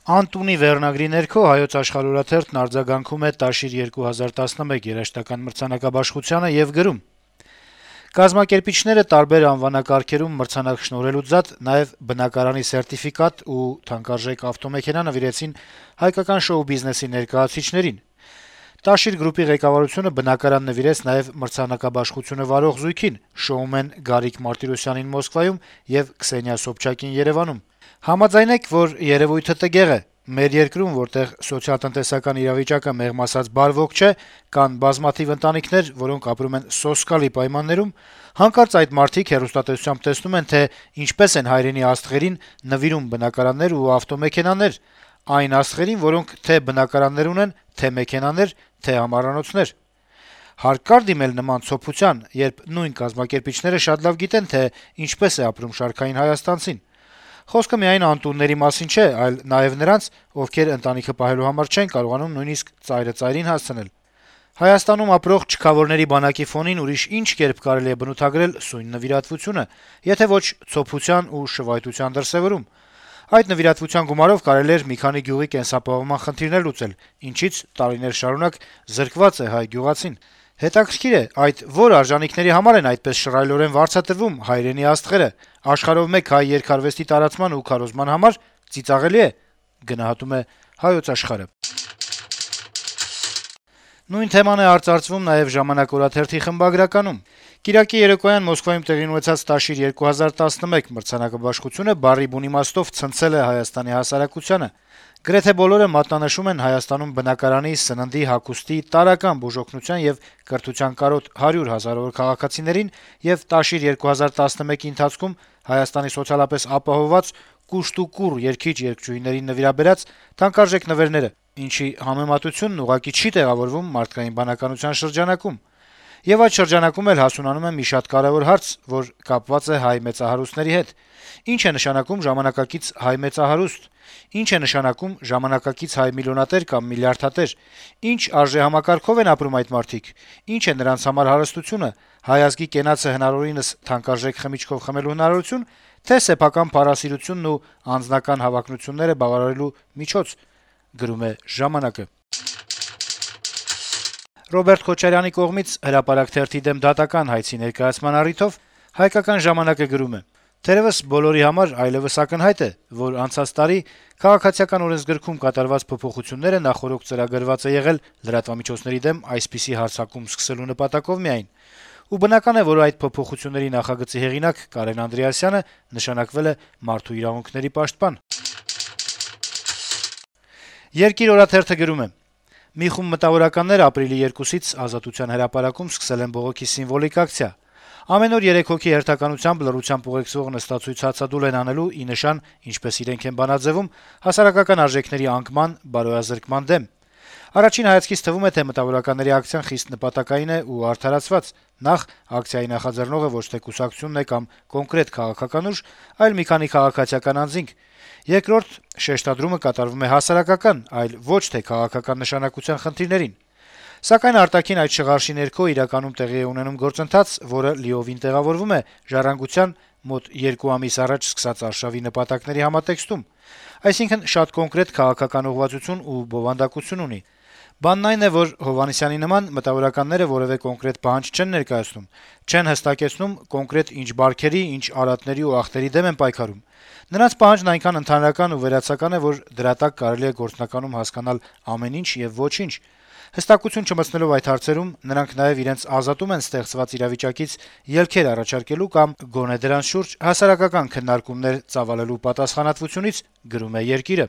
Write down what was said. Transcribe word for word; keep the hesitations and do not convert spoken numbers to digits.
Անտունի վերնագրի ներքո Հայոց աշխարհ օրաթերթն արձագանքում է Տաշիր երկու հազար տասնմեկ երաժշտական մրցանակաբաշխությանը եւ գրում. - «Կազմակերպիչները տարբեր անվանակարգերում մրցանակ շնորհելուց զատ նաեւ բնակարանի սերտիֆիկատ ու թանկարժեք ավտոմեքենա նվիրեցին հայկական շոու-բիզնեսի ներկայացուցիչներին։ Տաշիր գրուպի ղեկավարությունը բնակարան նվիրեց նաեւ մրցանակաբաշխությունը վարող զույգին՝ շոումեն Գարիկ Մարտիրոսյանին Մոսկվայում եւ Քսենիա Սոբչակին Երեւանում։ Համաձայնեք, որ երեւույթը տգեղ է։ Մեր երկրում, որտեղ սոցիալ-տնտեսական իրավիճակը մեղմ ասած բարվոք չէ, կան բազմաթիվ ընտանիքներ, որոնք ապրում են սոսկալի պայմաններում, հանկարծ այդ մարդիկ հեռուստատեսությամբ տեսնում են, թե ինչպես են հայրենի աստղերին նվիրում բնակարաններ ու ավտոմեքենաներ, այն աստղերին, որոնք թե բնակարաններ ունեն, թե մեքենաներ, թե ամառանոցներ։ Հարկ կար դիմել նման ցոփության, երբ նույն կազմակերպիչները շատ լավ գիտեն, թե ինչպես է ապրում շարքային հայաստանցին։ Խոսքը միայն անտունների մասին չէ, այլ նաեւ նրանց, ովքեր ընտանիքը պահելու համար չեն կարողանում նույնիսկ ծայրը ծայրին հասցնել։ Հայաստանում ապրող չքավորների բանակի ֆոնին ուրիշ ինչ կերպ կարելի է բնութագրել սույն նվիրատվությունը, եթե ոչ ցոփության ու շվայտության դրսեւորում։ Այդ նվիրատվության գումարով կարելի էր մի քանի գյուղի կենսապահովման խնդիրներ լուծել, ինչից տարիներ շարունակ զրկված է հայ գյուղացին։ Հետաքրքիր է, այդ որ արժանինքների համար են այդպես շռայլորեն վարձատրվում հայրենի աստղերը, աշխարհով մեկ հայ երգարվեստի տարածման ու քարոզման համար ծիծաղելի է»։ Գնահատում է Հայոց աշխարհը։ Նույն թեման է արծարծվում նաեւ «Ժամանակ» օրաթերթի խմբագրականում։ Կիրակի երեկոյան Մոսկվայում տեղի ունեցած Տաշիր երկու հազար տասնմեկ մրցանակաբաշխությունը բառի բուն իմաստով ցնցել է Հայաստանի հասարակությանը։ Գրեթե բոլորը մատնանշում են Հայաստանում բնակարանի, սննդի, հագուստի, տարրական բուժօգնության եւ կրթության կարոտ հարյուր հազարավոր քաղաքացիներին եւ Տաշիր երկու հազար տասնմեկի ընթացքում Հայաստանի սոցիալապես ապահովված կուշտ ու կուռ երգիչ-երգչուհիներին նվիրաբերած թանկարժեք նվերները, ինչի համեմատությունն ուղղակի չի տեղավորվում մարդկային բանականության շրջանակում։ Եվ այդ շրջանակում էլ հասունանում է մի շատ կարեւոր հարց, որ կապված է հայ մեծահարուստների հետ. ինչ է նշանակում ժամանակակից հայ մեծահարուստ, ինչ է նշանակում ժամանակակից հայ միլիոնատեր կամ միլիարդատեր, ինչ արժեհամակարգով են ապրում այդ մարդիկ, ինչ է նրանց համար հարստությունը, հայ ազգի կենացը հնարավորինս թանկարժեք խմիչքով խմելու հնարավորություն, թե սեփական փառասիրությունն ու անձնական հավակնությունները բավարարելու միջոց, գրում է «Ժամանակ»-ը։ Ռոբերտ Քոչարյանի կողմից Հրապարակ թերթի դեմ դատական հայցի ներկայացման առիթով «Հայկական ժամանակ»-ը գրում է. - «Թերեւս բոլորի համար այլեւս ակնհայտ է, որ անցած տարի քաղաքացիական օրենսգրքում կատարված փոփոխությունները նախօրոք ծրագրված է եղել լրատվամիջոցների դեմ այսպիսի հարձակում սկսելու նպատակով միայն, ու բնական է, որ այդ փոփոխությունների նախագծի հեղինակ Կարեն Անդրեասյանը նշանակվել է մարդու իրավունքների պաշտպան»։ «Երկիր» օրաթերթը գրում է. - «Մի խումբ մտավորականներ ապրիլի երկուսից Ազատության հրապարակում սկսել են բողոքի սիմվոլիկ ակցիա։ Ամեն օր երեք հոգի հերթականությամբ լռությամբ ուղեկցող նստացույց հացադուլ են անելու ի նշան, ինչպես իրենք են բանաձեւում, հասարակական արժեքների անկման, բարոյազրկման դեմ։ Առաջին հայացքից թվում է, թե մտավորականների ակցիան խիստ նպատակային է ու արդարացված։ Նախ, ակցիայի նախաձեռնողը ոչ թե կուսակցությունն է կամ կոնկրետ քաղաքական ուժ, այլ մի քանի քաղաքացիական անձինք։ Երկրորդ, շեշտադրումը կատարվում է հասարակական, այլ ոչ թե քաղաքական նշանակության խնդիրներին։ Սակայն արտաքին այդ շղարշի ներքո իրականում տեղի է ունենում գործընթաց, որը լիովին տեղավորվում է ժառանգության մոտ երկու ամիս առաջ սկսած արշավի նպատակների համատեքստում, այսինքն շատ կոնկրետ քաղաքական ուղղվածություն ու բովանդակություն ունի։ Բանն այն է, որ Հովհաննիսյանի նման մտավորականները որեւէ կոնկրետ պահանջ չեն ներկայացնում, չեն հստակեցնում կոնկրետ ինչ բարքերի, ինչ արատների ու ախտերի դեմ են պայքարում։ Նրանց պահանջն այնքան ընդհանրական ու վերացական է, որ դրա տակ կարելի է գործնականում հասկանալ ամեն ինչ եւ ոչինչ։ Հստակություն չմտցնելով այդ հարցերում, նրանք նաեւ իրենց ազատում են ստեղծված իրավիճակից ելքեր առաջարկելու կամ գոնե դրանց շուրջ հասարակական քննարկումներ ծավալելու պատասխանատվությունից, գրում է «Երկիրը»։